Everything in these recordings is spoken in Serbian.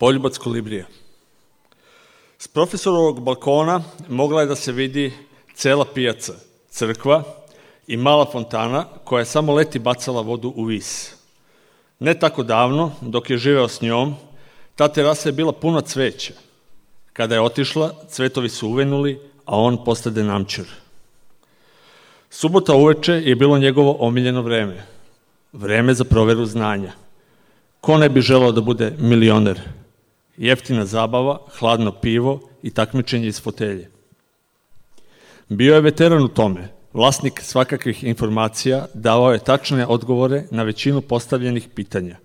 Poljubac kolibrija. S profesorovog balkona mogla je da se vidi cela pijaca, crkva i mala fontana koja je samo leti bacala vodu u vis. Ne tako davno, dok je živeo s njom, ta terasa je bila puna cveća. Kada je otišla, cvetovi su uvenuli, a on postade namčer. Subota uveče je bilo njegovo omiljeno vreme. Vreme za proveru znanja. Ko ne bi želeo da bude milioner? Jeftina zabava, hladno pivo i takmičenje iz fotelje. Bio je veteran u tome, vlasnik svakakvih informacija, davao je tačne odgovore na većinu postavljenih pitanja.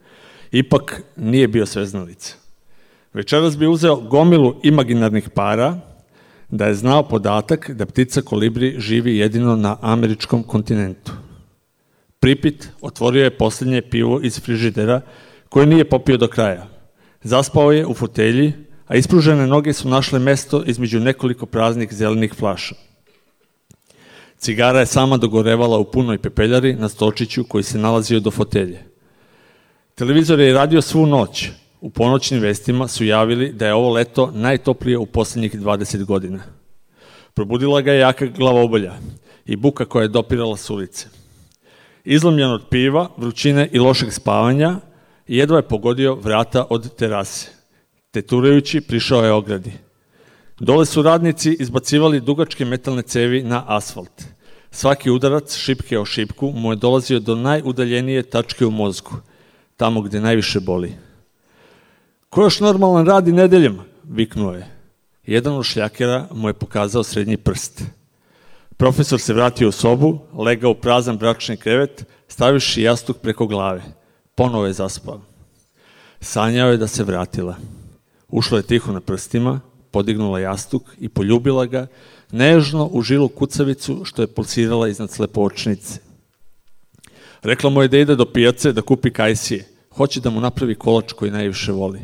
Ipak nije bio sveznalica. Večeras bi uzeo gomilu imaginarnih para da je znao podatak da ptica kolibri živi jedino na američkom kontinentu. Pripit otvorio je posljednje pivo iz frižidera koje nije popio do kraja. Zaspao je u fotelji, a ispružene noge su našle mesto između nekoliko praznih zelenih flaša. Cigara je sama dogorevala u punoj pepeljari na stolčiću koji se nalazio do fotelje. Televizor je radio svu noć. U ponoćnim vestima su javili da je ovo leto najtoplije u posljednjih 20 godina. Probudila ga je jaka glavobolja i buka koja je dopirala s ulice. Izlomljen od piva, vrućine i lošeg spavanja, jedva je pogodio vrata od terase. Teturajući prišao je ogradi. Dole su radnici izbacivali dugačke metalne cevi na asfalt. Svaki udarac, šipke o šipku, mu je dolazio do najudaljenije tačke u mozgu, tamo gde najviše boli. Ko još normalan radi nedeljama? Viknuo je. Jedan od šljakera mu je pokazao srednji prst. Profesor se vratio u sobu, legao u prazan bračni krevet, stavivši jastuk preko glave. Ponovo je zaspao. Sanjao je da se vratila. Ušla je tiho na prstima, podignula jastuk i poljubila ga, nežno u žilu kucavicu što je pulsirala iznad slepočnice. Rekla mu je da ide do pijace da kupi kajsije. Hoće da mu napravi kolač koji najviše voli.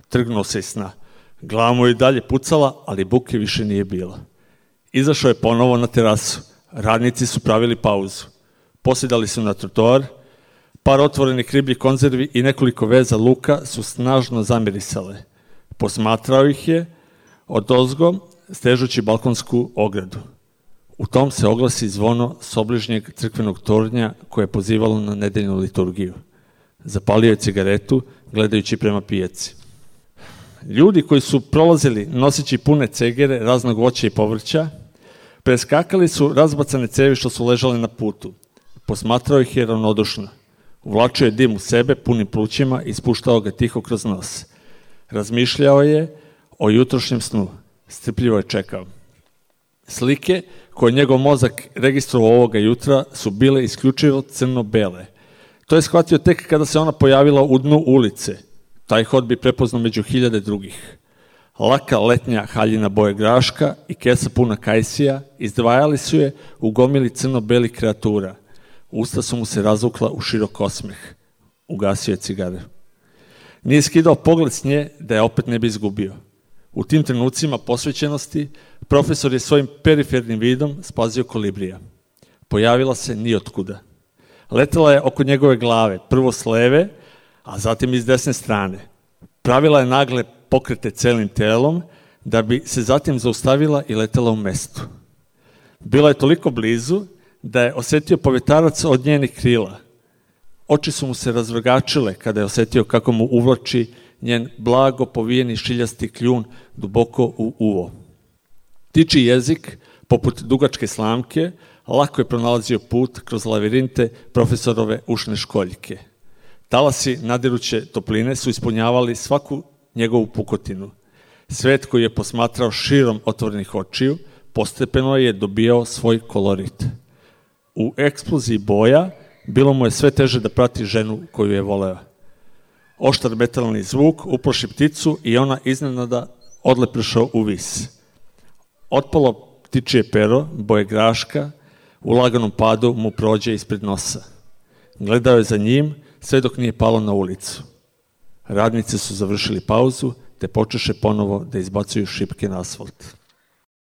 Trgnuo se iz sna. Glava mu je i dalje pucala, ali buke više nije bilo. Izašao je ponovo na terasu. Radnici su pravili pauzu. Posjedali su na trotoar. Par otvorenih ribljih konzervi i nekoliko veza luka su snažno zamirisale. Posmatrao ih je odozgo, stežući balkonsku ogradu. U tom se oglasi zvono s obližnjeg crkvenog tornja koje je pozivalo na nedeljnu liturgiju. Zapalio je cigaretu, gledajući prema pijaci. Ljudi koji su prolazili noseći pune cegere raznog voća i povrća, preskakali su razbacane cevi što su ležale na putu. Posmatrao ih je ravnodušno. Uvlačio je dim u sebe punim plućima i spuštao ga tiho kroz nos. Razmišljao je o jutrošnjem snu. Strpljivo je čekao. Slike koje njegov mozak registrovao ovoga jutra su bile isključivo crno-bele. To je shvatio tek kada se ona pojavila u dnu ulice. Taj hod bi prepoznao među hiljade drugih. Laka letnja haljina boje graška i kesa puna kajsija izdvajali su je u gomili crno-belih kreatura. Usta su mu se razvukla u širok osmeh. Ugasio je cigare. Nije skidao pogled s nje da je opet ne bi izgubio. U tim trenucima posvećenosti profesor je svojim perifernim vidom spazio kolibrija. Pojavila se nijotkuda. Letela je oko njegove glave, prvo s leve, a zatim iz desne strane. Pravila je nagle pokrete celim telom, da bi se zatim zaustavila i letela u mestu. Bila je toliko blizu da je osetio povetarac od njenih krila. Oči su mu se razvrgačile kada je osetio kako mu uvlači njen blago povijeni šiljasti kljun duboko u uvo. Tiči jezik, poput dugačke slamke, lako je pronalazio put kroz lavirinte profesorove ušne školjke. Talasi nadiruće topline su ispunjavali svaku njegovu pukotinu. Svet koji je posmatrao širom otvorenih očiju, postepeno je dobijao svoj kolorit. U eksploziji boja bilo mu je sve teže da prati ženu koju je voleo. Oštar metalni zvuk uplaši pticu i ona iznenada odlepršao u vis. Otpalo ptičije pero, boje graška, u laganom padu mu prođe ispred nosa. Gledao je za njim sve dok nije palo na ulicu. Radnici su završili pauzu te počeše ponovo da izbacuju šipke na asfalt.